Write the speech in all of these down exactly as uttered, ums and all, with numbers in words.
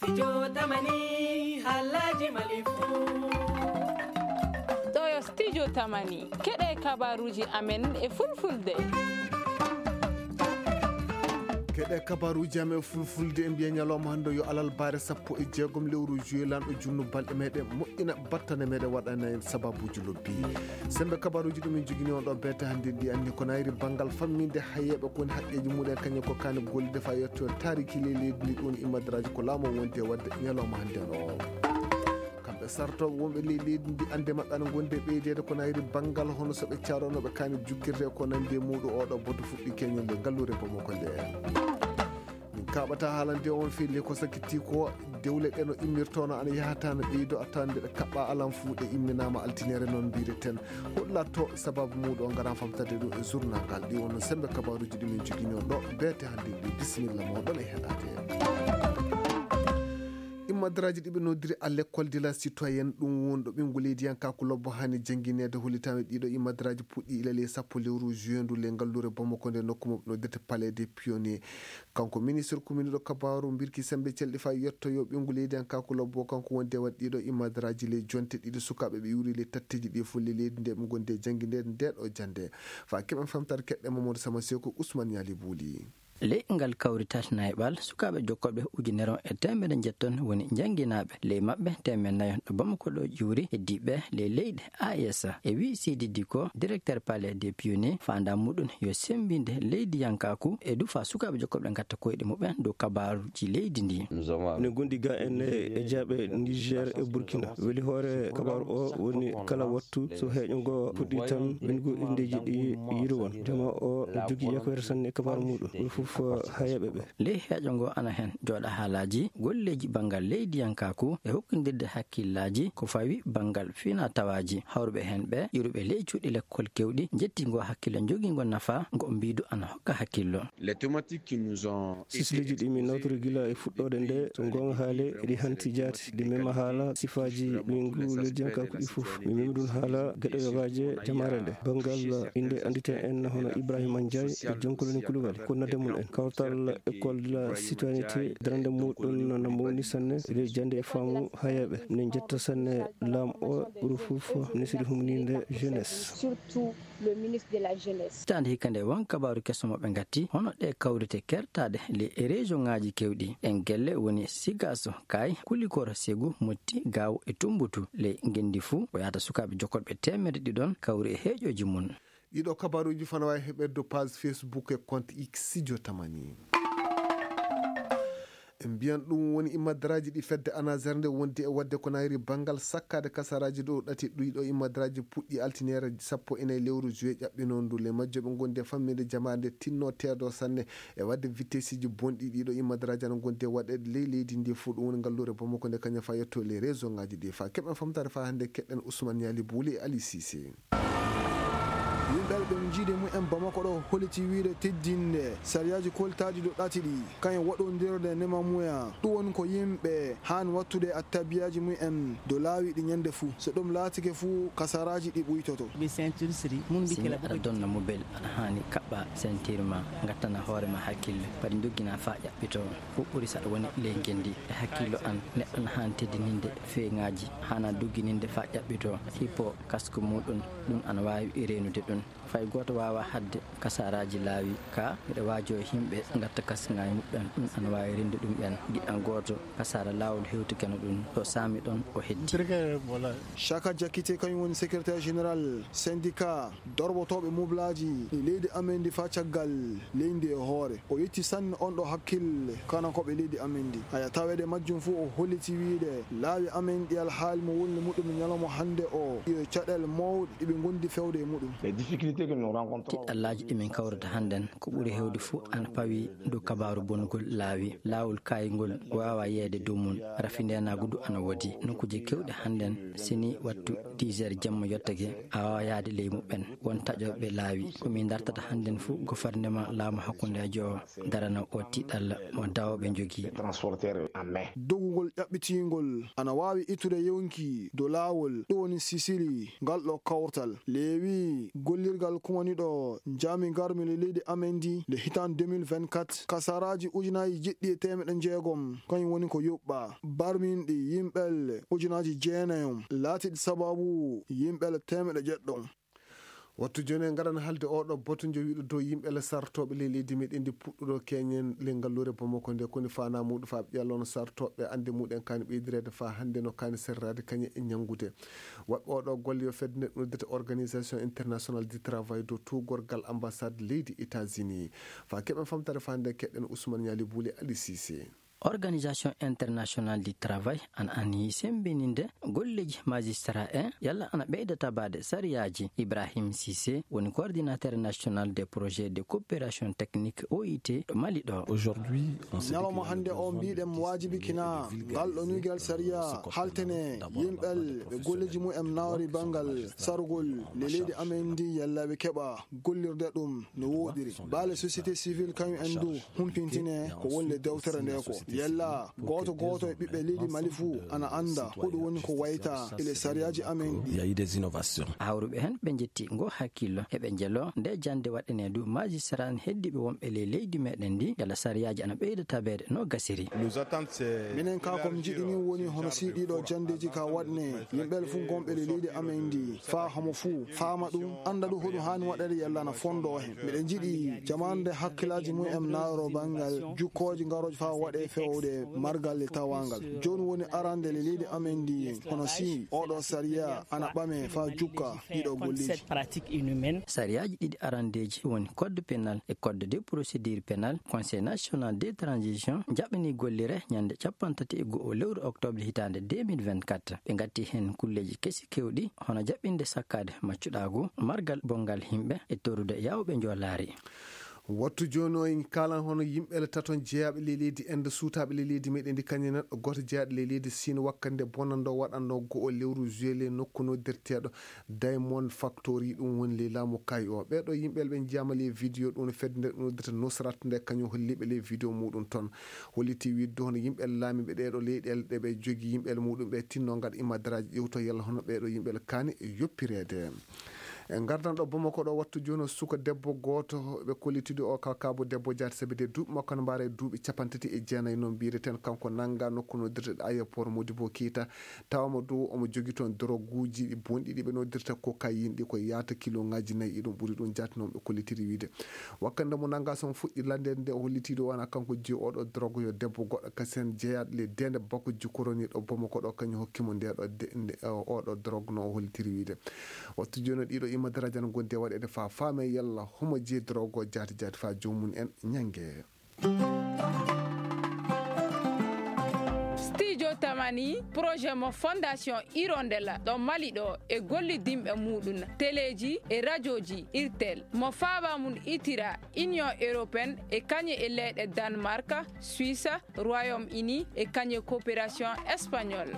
Studio Tamani, halaji Mali fu. Ɗo yo Studio Tamani, keɗe kabaruji amen e fulfulde. Keɗe kabaruji amen fulfulde, en mbiya ñalawma hannde yo alarba sappo e jeegom lewru juillet, lanɗo junnu balɗe meɗen moƴƴina, battane meɗen waɗana en sababuji lobbi. Sembe kabaruji ɗum en jogini on ɗo beete hannde ndi anni ko nayri banngal famminde hayeeɓe ko woni haqqeji muɗen kañum ko kani gollide fa yetto taariki ley leydi ndi ɗum imadraji ko laamu wonde wadde ñalawma hannde o. Kamɓe sartooɓe wonɓe ley leydi ndi annde maɓɓe ana gonde ɓeydeede ko nayri banngal hono so ɓe caronoɓe kani jukkirte ko nandi e muɗum oɗo boto fuɗɗi keñol nde ngallure Bamako nde. Min kaɓata haalande on fii le ko sakkiti ko dewle ɗe no immirtono ana yahata no ɓeydo attande ɗe kaɓɓa alam fuu ɗe imminama altinere non mbireten. Hollatto sababu muɗum o ngaran famtade ɗum e journal ngal ɗi wonno sembe kabaruji ɗi min jogini on ɗo beete hannde ndi. Bisimilla moɗon e heɗade. Immadraji ɗi ɓe noddiri à l'école de la citoyenne ɗum wonɗo ɓingu leydiyankaku lobbo hani janngineede hollitano ɗiɗo immadraji puɗɗi ilale sappo lewru juin ndu le ngallure Bamako nde nokku mo ɓe noddirta palais des pionniers. Kanko ministre kuminiɗo kabaru mbirki sembe celɗi fa yetto yo ɓingu leydiyankaku lobbo kanko wonde waɗ ɗiɗo imadraji le jonte ɗiɗi sukaɓe ɓe iwri le tatteji ɗi fof le leydi nde ɓe gonde janngineede nde ɗo jannde. Fa keɓen famtare keɗɗe Mamadou Sama Seko Ousmane Yali Bouli. Ley ngal kawrital nayɓal sukaaɓe jokkoɓe ujunere e teemedde njetton woni jannginaaɓe ley maɓɓe teemedde nayo ɗo Bamako ɗo ƴuuri heddiiɓe ley leyɗe A E S. E wii Sidi Diko, directeur palais des pionniers, faandaa muɗum yo semmbinde leydiyankaaku e du faa sukaaɓe jokkoɓe ngatta koyɗe muɓɓen dow kabaaruji leydi ndi. Minen gonɗi ga en e jaaɓe Niger e Burkina. Weli hoore kabaaru o woni kala wattu so heeƴo ngo puɗɗi tan ɓengu inndeeji ɗi yiro won. Jama o no jogii yakoyre sanne e kabaaru muɗum. Ɗum fof hayeeɓe ɓe. Ley heeƴo ngo ana heen jooɗa haalaaji golleeji banngal leydiyankaaku e hokkondirde hakkillaaji ko fawi banngal finaa tawaaji. Hawruɓe heen ɓe ƴuruɓe ley cuuɗi lekkol kewɗi njetti ngo hakkille jogingo nafa ngo mbiidu ana hokka hakkillo. Les thématiques qui nous ont été Sisleeji ɗi min nawtori gila e fuɗɗoode nde, so goonga haale, eɗi hanti jaati, ɗi mema haala sifaaji ɓeyngu leydiyankaaku ɗi fof. Mi mema ɗum haala geɗe yogaaje jamaare nde. Banngal innde annditen en hono Ibrahima Ndiaye e Jonkoloni Koulibaly, ko nodde mum en. Kawtal École de la Citoyenneté, darande muɗum no mawni sanne, eɗi jannde e faamu hayeeɓe. Minen njetta sanne laam o, ɓuri fof ministre humninde jeunesse. Surtout le ministre de la Jeunesse. Hitaande hikka nde, won kabaaru keso mo ɓe ngatti, hono ɗe kawrite kertaaɗe ley région ŋaaji kewɗi. Ɗen gelle woni Sigaso, Kay, Kulikoro, Segu, Motti, Gaawo e Tumbutu. Ley ngenndi fuu, ko yahata sukaaɓe jokkorɓe teemedde ɗiɗon kawri e heeƴooji mum. Ɗiɗo kabaaruuji fana waawi heɓeede dow page Facebook e compte X Studio Tamani. En mbiyan ɗum woni imadraaji ɗi fedde ANASER nde wondi e waɗde ko nayri banngal sakkaade kasaraaji ɗo ɗati ɗuyɗo imadraaji puɗɗi altiniere sappo e nayi lewru juillet ƴaɓɓinoo ndu. Le majjo ɓe ngondi e fammiinde jamaare nde tinno teedo sanne e waɗde vitesiji bonɗi ɗiɗo imadraaji ana ngondi e waɗeede ley leydi ndi fof ɗum woni ngalluure Bamako nde kañum fa yetto ley région ŋaaji ɗi fa keɓen famtaare fa hannde keɗɗen Ousmane Yali Bouli e Ali Cissé. Yimɓe ɓe jiide mumen Bamako ɗo holliti wiide teddinde sariyaaji koltaaɗi ɗo ɗati ɗi, kañum waɗondirde neema mumen. Ɗum woni ko yimɓe haani wattude attabiyaaji mumen dow laawi ɗi ñande fuu. So ɗum laatike fuu, kasaraaji ɗi ɓuytoto. Ɓe ceinture siri, mun bi Sini kela aɗa boko donna mobel, aɗa haani kaɓɓa ceinture ma, ngattana hoore ma hakkille, padi doggina faa ƴaɓɓito. Ko ɓuri saɗa woni ley ngenndi. E hakkillo an, neɗɗo na haani teddininde feeñaaji, haana doggininde faa ƴaɓɓito. Hippo kasku muɗum, ɗum ana waawi reenude ɗum. Fay gooto waawaa haɗde kasaaraaji laawi, kaa miɗo waajoo yimɓe ngatta kasŋaaji muɓɓen, ɗum ana waawi rende ɗum en. Giɗan gooto, kasaara laawol hewtikeno ɗum, ɗo saami ɗon o heddi. Shaka Jakite kañum woni secrétaire général syndicat dorɓotooɓe moblaaji e leydi amen ndi faa caggal leydi e hoore. O yetti sanne on ɗo hakkille kanankoɓe leydi amen ndi. Haya taweede majjum fuu o holliti wiide laawi amen ɗi alhaali mo woni muɗum ñalawma hannde o yo caɗeele mawɗe ɗi ɓe ngondi fewde e muɗum. Tiɗɗallaaji ɗi min kawrata hannden ko ɓuri heewde fuu ana pawi dow kabaaru bonnugol laawi. Laawol kaayngol waawaa yeeyde dow mum. Rafi ndeenaagu du ana woodi. Nokkuuje keewɗi hannden, sini wattu dix heures jemma yottake, a waawaa yahde ley muɓɓen. Won taƴooɓe laawi. Ko min dartata hannden fuu, gofarneman laamu hakkundeejo o darana oo tiɗɗalla mo dawooɓe njogii. Dogugol ƴaɓɓitiingol ana waawi ittude yonki dow laawol, ɗum woni Sisili, ngal ɗo kawtal. Leewi, golle Lirgal kumaniɗo jaami garmi le leydi amen ndi nde hitan deux mille vingt-quatre, kasaraji ujunaji jeɗɗi e temeɗe jeegom kañum woni ko yuɓɓa. Barminɗi yimɓel ujunaji jeenayom laatiɗi sababu yimɓel temeɗe jeɗɗo. Wattu jooni en ngaran haalde oɗo boto njo wiɗo dow yimɓe le sartoɓe le leydi meɗen ndi puɗɗuɗo keñen le ngallure Bamako nde koni fana muɗum fa ɓiyalon sartoɓe ande muɗen kani ɓeydirede fa hande no kani serrade kañe e ñangude. Waɗɓe oɗo golle yo fedde nde ɗum dete Organisation International du Travail dow tuugorgal ambassade leydi États-Unis. Fa keɓen famtare fa nde keɗen Ousmane Ñali Bouli Ali Cissé. Organisation International du Travail an anniyi sembininde golleji magistrat en yalla ana ɓeyda tabade sariyaji. Ibrahim Cissé woni coordinateur national des projets de coopération technique O I T ɗo Mali ɗo. Aujourd'hui, en ce ñalawma hande o mbiɗen wajibi kina ngal ɗo nuygal sariya haltene yimɓel ɓe golleji mum en nawri bangal sarugol le leydi amen ndi yalla ɓe keɓa gollirde ɗum no woɗiri. Baale société civile kañum en du humpintine ko wonde dewtere nde ko yalla gooto gooto e ɓiɓɓe leydi Mali fuu ana annda ko ɗum woni ko wayta ele sariyaaji amen ɗi. Il y a eu des innovations. Hawruɓe heen ɓe njetti ngo hakkillo eɓe njelo nde jannde waɗanee du magistrat en heddiiɓe wonɓe ley leydi meɗen ndi yalla sariyaaji ana ɓeyda tabeede no gasiri. Minen ka kom jiɗini woni hono si ɗiɗo janndeeji ka waɗne yimɓe fuu gonɓe ley leydi amen ndi faa homo fuu faama ɗum annda ɗum hoɗum haani waɗede yalla na fondo heen. Miɗen jiɗi jamaande hakkilaaji mum en naaro banngal jukkooji ngarooji faa waɗe fewde margal e tawangal. Jooni woni arande le leydi amen ndi hono si oɗo sariya ana ɓame faa jukka ɗiɗo golleeji. Sariyaaji ɗiɗi arandeeji woni code pénal e code de procédure pénale. Conseil national de transition jaɓɓini gollire ñande capanɗe tati e go'o lewru octobre hitaande deux mille vingt-quatre. Ɓe ngatti heen kulleeji kesi kewɗi hono jaɓɓinde sakkaade maccuɗaagu margal bongal yimɓe e torude yawɓe njoolaari. Wattu jooni o en kaalan hono yimɓe le taton jeyaaɓe le leydi Inde suutaaɓe le leydi meɗen ndi kañum neɗɗo gooto jeyaaɗo le leydi Siin wakkande bonando waɗanno go'o lewru juillet nokku noddirteeɗo Diamond Factory ɗum woni le laamu kay o. Ɓeeɗo yimɓe le ɓe njiyaama le video ɗum no fedde nde ɗum noddata Nusrat nde kañum holliiɓe le video muɗum toon. Holliti wiide hono yimɓe laamiiɓe ɗeeɗo leyɗeele ɗe ɓe jogi yimɓe muɗum ɓe tinno ngaɗa imadaraaji ƴewto yalla hono ɓeeɗo yimɓe kaani yoppireede. E ngardan ɗo Bamako ɗo wattu jooni o suka debbo gooto ɓe kollitidi o kalkabo debbo jaati sabi de duuɓi makko no mbaara e duuɓi capanɗe tati e jeenayi noon mbiyeten kanko nannga nokku no dirteɗo aéroport Modibo Keita tawama dow omo jogi toon droguuji bonɗi ɗi ɓe noddirta cocaïne ɗi ko yaata kilo ngaji nayi e ɗum ɓuri ɗum jaati noon ɓe kollitiri wiide. Wakkande mo nannga son fuɗɗi lanndede nde o hollitiiɗo wona kanko jeyi oɗo drogue yo debbo goɗɗo kasen jeyaɗo le dende bakko jukkoroni ɗo Bamako ɗo kañum hokki mo nde ɗo de- nde- o- oɗo drogue no o hollitiri wiide. Wattu jooni ɗiɗo imma daraja no gondi e waɗede fa faame yalla homo jeyi drogue o jaati jaati fa joomum en ñange. Studio Tamani projet mo fondation Hirondella ɗo Mali ɗo e gollidinɓe muɗum teleji e rajoji irtel mo faaba mum itira Union européenne e kañe e leyɗe Danemark, Suisse, Royaume Uni e kañe coopération espagnole.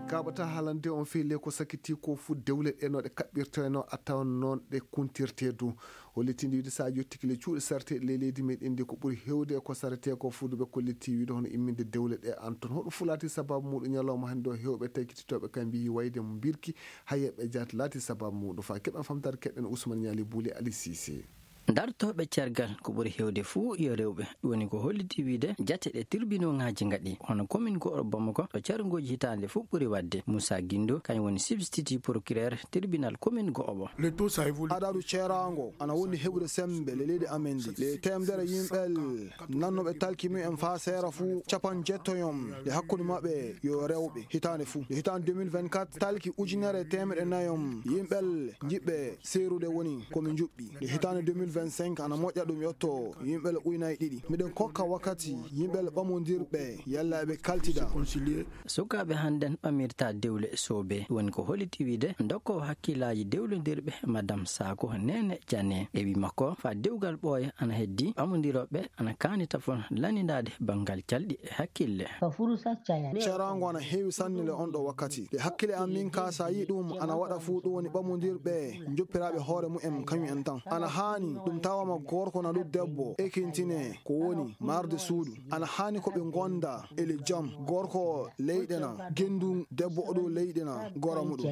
Mi kaɓata haalande on fii le ko sakiti ko fu dewle ɗe no ɗe kaɓɓirtoyno a tawan noon ɗe kuntirte du. Hollitinde wiide so a yottike le cuuɗi sarteɗi le leydi meɗen ndi ko ɓuri hewde ko sarete ko fuuduɓe kolliti wiide hono imminde dewle ɗe an toon hoɗum fulati sababu muɗum ñalawma hannde o hewɓe taykititoɓe kam mbiyi wayde mo mbirki hayeɓe jaat laati sababu muɗum fa keɓen famtare keɗen Ousmane Ñaali Buuli Ali Sise. Dartooɓe cergal ko ɓuri heewde fuu yo rewɓe. Ɗum woni ko holliti wiide jate ɗe tirbinooŋaaji ngaɗi hono commune go'oɗo Bamako ɗo carngooji hitaande fof ɓuri waɗde. Moussa Guindo kañum woni substitut procureur tribunal commune go'oɓo. Adadu ceeraango ana wondi heɓude semmbe le leydi amen ndi le teemdere yimɓe nannooɓe talki mumen faa seera fuu capan jettoyom e hakkunde maɓɓe yo rewɓe hitaande fuu. E hitaande deux mille vingt-quatre talki ujunere e teemeɗe nayom yimɓe jiɓɓe seerude woni ko mi juɓɓi. E hitaande deux mille vingt-cinq ana moƴƴa ɗum yotto yimɓe le uynaaji ɗiɗi. Miɗen kokka wakkati yimɓe le ɓamondirɓe yalla eɓe kaltida. Sukaaɓe hannden ɓamirta dewle soobe woni ko holliti wiide dokkoowo hakkillaaji dewlondirɓe Madam Saako Neene Jane e wi makko fa dewgal ɓooya ana heddi ɓamondirooɓe ana kaani tafon lannindaade banngal calɗi e hakkille. Ceeraango ana heewi sanne le on ɗo wakkati e hakkille am min ka sa yi ɗum ana waɗa fuu ɗum woni ɓamondirɓe joppiraaɓe hoore mumen kañum en tan ana haani ɗum tawama gorko na ɗum debbo, ekintine ko woni marde suudu. Ana haani ko ɓe ngonda ele jam, gorko leyɗe na gendu debbo oɗo leyɗe na gora muɗum.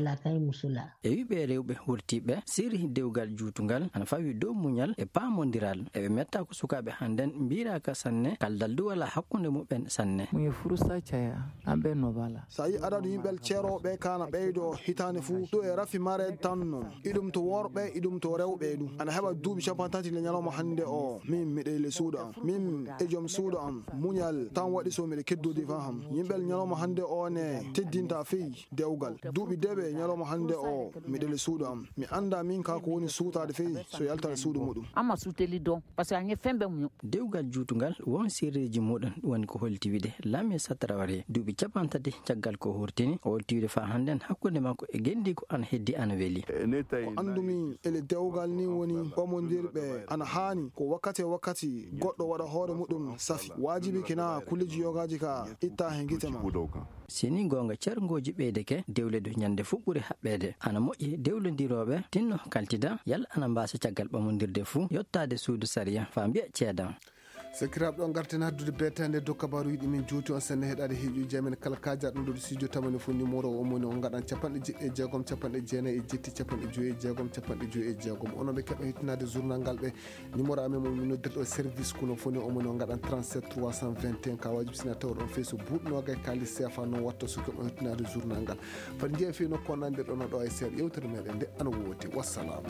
E wiɓe rewɓe wurtiɓe siri dewgal juutungal ana fawi dow muñal e paamondiral. Eɓe metta ko sukaaɓe hannden mbiraka sanne kaldal du wala hakkunde muɓɓen sanne. Muye furusa caya amɓe no bala. Sa yi adadu yimɓel ceerooɓe kana ɓeydo hitaande fuu, ɗo e rafi mare tan non. Iɗum to worɓe, iɗum to rewɓe du. Ana heɓa duuɓi capantati le ñalawma hannde o. Min miɗo le suudu am. Min e joom suudu am. Muñal tan waɗi so miɗo keddodi fa ham. Yimɓel ñalawma hannde o ne teddinta fii dewgal. Duuɓi deɓe ñalawma hannde o miɗo le suudu am. Mi annda min ka ko woni suutaade fii so yalta le suudu muɗum. Amma suuteli don. Parce que a ñe fembe muñu. Dewgal juutungal won sirreeji muɗum woni ko holti wiide Lame Satraware duuɓi capantati caggal ko hurtini o holti wiide fa hannden hakkunde makko e gendiiko ana heddi ana weli. Ko anndumi ele dewgal ni woni ɓamondirɓe ana haani ko wakkati e wakkati goɗɗo waɗa hoore muɗum safi. Waajibi kina kulleji yogaaji ka itta he gite ma. Sini goonga cerngooji ɓeydeke dewledo ñande fuɓɓure haɓɓeede. Ana moƴƴi dewlondirooɓe tinno kaltida yalla ana mbaasa caggal ɓamondirde fuu yottaade suudu sariya fa mbiya ceedan. Sakiraaɓe ɗo ngarten haddude beetaande dow kabaaruuji ɗi min juuti on sanne heɗaade heeƴuuji amen kala kaaja ɗum ɗo studio tamani fof numéro o moni on ngaɗan capanɗe jeɗɗi e jeegom capanɗe jeenayi e jetti capanɗe joyi e jeegom capanɗe joyi e jeegom onon ɓe keɓa hettinaade journal ngal ɓe numéro amen mo min noddirɗo service kuno fof ni o moni on ngaɗan trente-sept trois cent vingt et un ka wajibi sina tawa ɗon fey so buuɗ noogay kaalis seefa noon watta so keɓa hettinaade journal ngal fati njeya fii nokku o nandirɗo no ɗo e seeɗa yewtere meɗen nde ana woodi wassalam.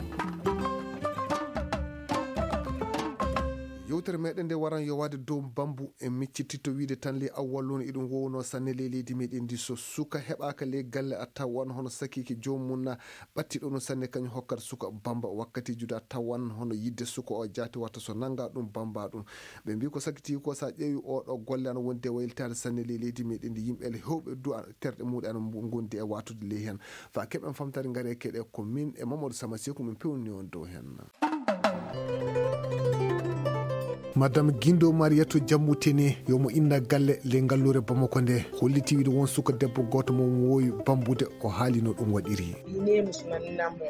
Yewtere meɗen nde waran yowaade dow bambu e micciti to wiide tan ley awwal woni eɗum wowno sanne ley leydi meɗen ndi so suka heɓaka ley galle a tawan hono sakiki joomum na ɓattiɗo no sanne kañum hokkata suka bamba wakkati juda tawan hono yidde suka o jaati watta so nanga ɗum bamba ɗum ɓe mbi ko sakiti ko sa ƴeewi oɗo golle ana wondi e waylitaade sanne ley leydi meɗen ndi yimɓe ele hewɓe du terɗe muɗe ana gondi e watude ley hen fa keɓen famtare ngare keɗe ko min e mamadou sama seku min pewni on dow hen. Madame Guindo Mariatou Diamoutene yomo inna galle le ngallure Bamako nde holliti wiide won suka debbo goto mo wowi bambude o haali no ɗum waɗiri.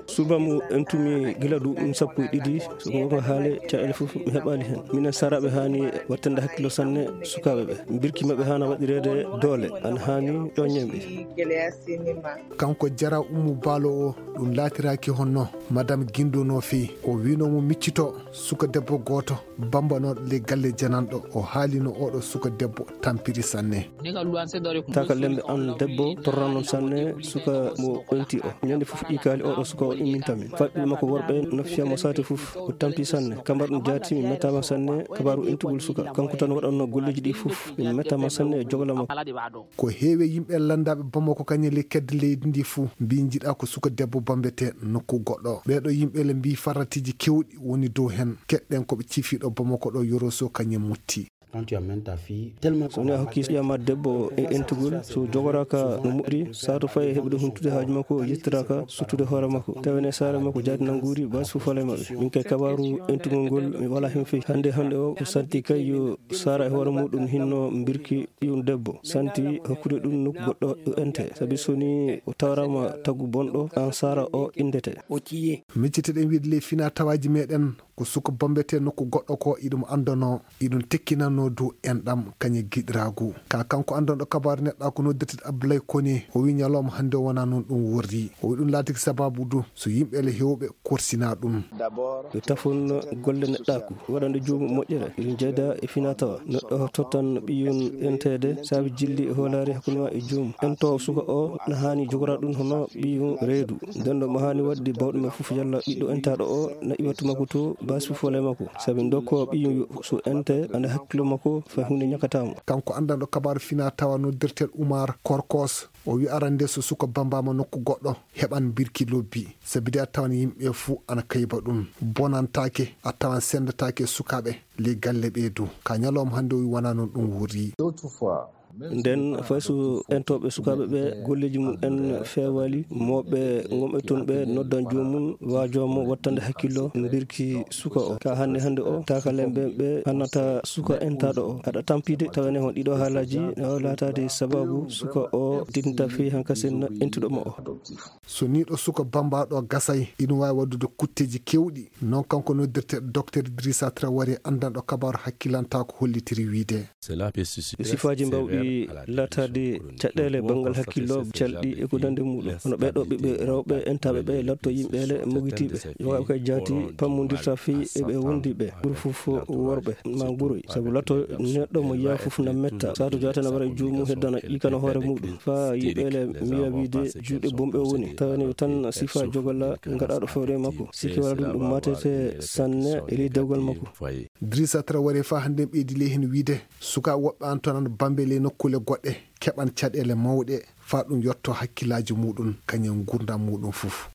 Suba mo entumi gila duuɓi sappo e ɗiɗi so wonko haale caɗele fof mi heɓali hen minen saraɓe hani wattande hakkillo sanne sukaɓe ɓe birki maɓɓe hana waɗirede doole ana hani ƴoñen ɓe. Kanko jara ummu baalo o ɗum laatiraki honno madame Guindo no feewi o wino mo miccito suka debbo gooto bambanooɗo ley galle jananɗo o haalino oɗo suka debbo tampiri sanne. Taka lembe an debbo torran non sanne suka mo ɓenti o ñande fof ɗi kaali oɗo suka o imminta min faɓɓe makko worɓe no fiya mo sate fof o tampi sanne kambar ɗum jaati mi mettama sanne kabaru entugol suka kanko tan waɗanno golleji ɗi fof mi mettama sanne e jogla makko. Ko heewi e yimɓe lanndaɓe Bamako kañum e ley kedde leydi ndi fuu mbi jiɗa ko suka debbo bambete nokku goɗɗo. Ɓeeɗo yimɓe le mbi farratiji kewɗi woni dow hen. Keɗɗen ko ɓe cifi ɗo Bamako ɗo Yoroso kañum e Mutti. So woni a hokki ƴama debbo e entugol so jogoraka no moƴƴiri sato fayi e heɓude huntude haaju makko yettiraka suttude hoore makko tawene saare makko jaadi nannguuri basi fof fale maɓɓe min kay kabaru entugol ngol mi wala hen fewi hannde hannde o ko santi kay yo sara e hoore muɗum hinno mbirki ɓiyum debbo santi hokkude ɗum nokku goɗɗo o ente sabi so ni o tawrama tagu bonɗo an sara o indete. Micciteɗen wiide ley fina tawaji meɗen ko suka bombete nokku goɗɗo ko iɗum andono iɗum tekkinanno du enɗam kañe giɗiragu ka kanko andonɗo kabaru neɗɗa ko noddirteɗo Abdoulaye Kone o wi ñalawma hannde o wona noon ɗum worri o wi ɗum laatiki sababu du so yimɓe le hewɓe korsina ɗum. Yo tafon golle neɗɗaaku waɗande joomum moƴƴere ina jeeda e finaa-tawaa. Neɗɗo tottan ɓiyum enteede saabe jilli e hoolaare hakkunde maa e joomum. Entoowo suka o na haani jogora ɗum hono ɓiyum reedu. Ndennoo mo haani waɗde baawɗo men fof yalla ɓiɗɗo entaaɗo o na iwa to makko to baasi fof walla e makko. Sabi ndokkoo ɓiyum so ente ana hakkillo makko fay huunde ñakkataa mo. Kanko anndanɗo kabaaru finaa-tawaa noddirteeɗo Umaar Korkos. O wi arande so suka bambama nokku goɗɗo heɓan birki lobbi sabi de a tawan yimɓe fuu ana kayba ɗum bonantake a tawan sendetake e sukaɓe ley galle ɓe du ka ñalawma hannde o wi wona noon ɗum wurri. Nden fay so entooɓe sukaaɓe ɓe golleeji mum en feewaali, mooɓe gomɗo tun ɓe noddan joomum, waajo mo wattande hakkillo mbirki suka o. Ka hannde hannde o, taakalen ɓe ɓe annata suka entaaɗo o. Aɗa tampide tawa ene hon ɗiɗo haalaaji, o laataade sababu suka o dinta fii hankasen entuɗo mo o. So nii ɗo suka bambaaɗo gasay, ina waawi waɗude kutteeji keewɗi. Non kanko noddirteeɗo Docteur Idrissa Traoré, anndanɗo kabaaru hakkilantaa ko hollitiri wiide. Sifaaji mbawɗi laataade caɗeele banngal hakkillo, calɗi e ko nandi muɗum. Hono ɓee ɗoo ɓiɓɓe rewɓe entaaɓe ɓe latto yimɓe ele mogitiiɓe. Yo waɗ ko e jaati pammondirta fii e ɓe wondiiɓe. Ɓuri fof worɓe ma guroy. Sabu latto neɗɗo mo yiya fof na metta. Saatu jaati na wara e joomum heddana ƴiikana hoore muɗum. Faa yimɓe ele miya wiide juuɗe bonɓe o woni. Tawa ne tan sifa jogala ngaɗaaɗo fewre makko. Sikke wala ɗum ɗum matete sanne e ley dewgal makko. Idrissa Traoré faa hannde ɓeydi ley heen wiide, sukaa woɓɓe an toon ana bambe ley nokkuule goɗɗe, keɓan caɗeele mawɗe faa ɗum yotto hakkillaaji muɗum, kañum nguurndam muɗum fof.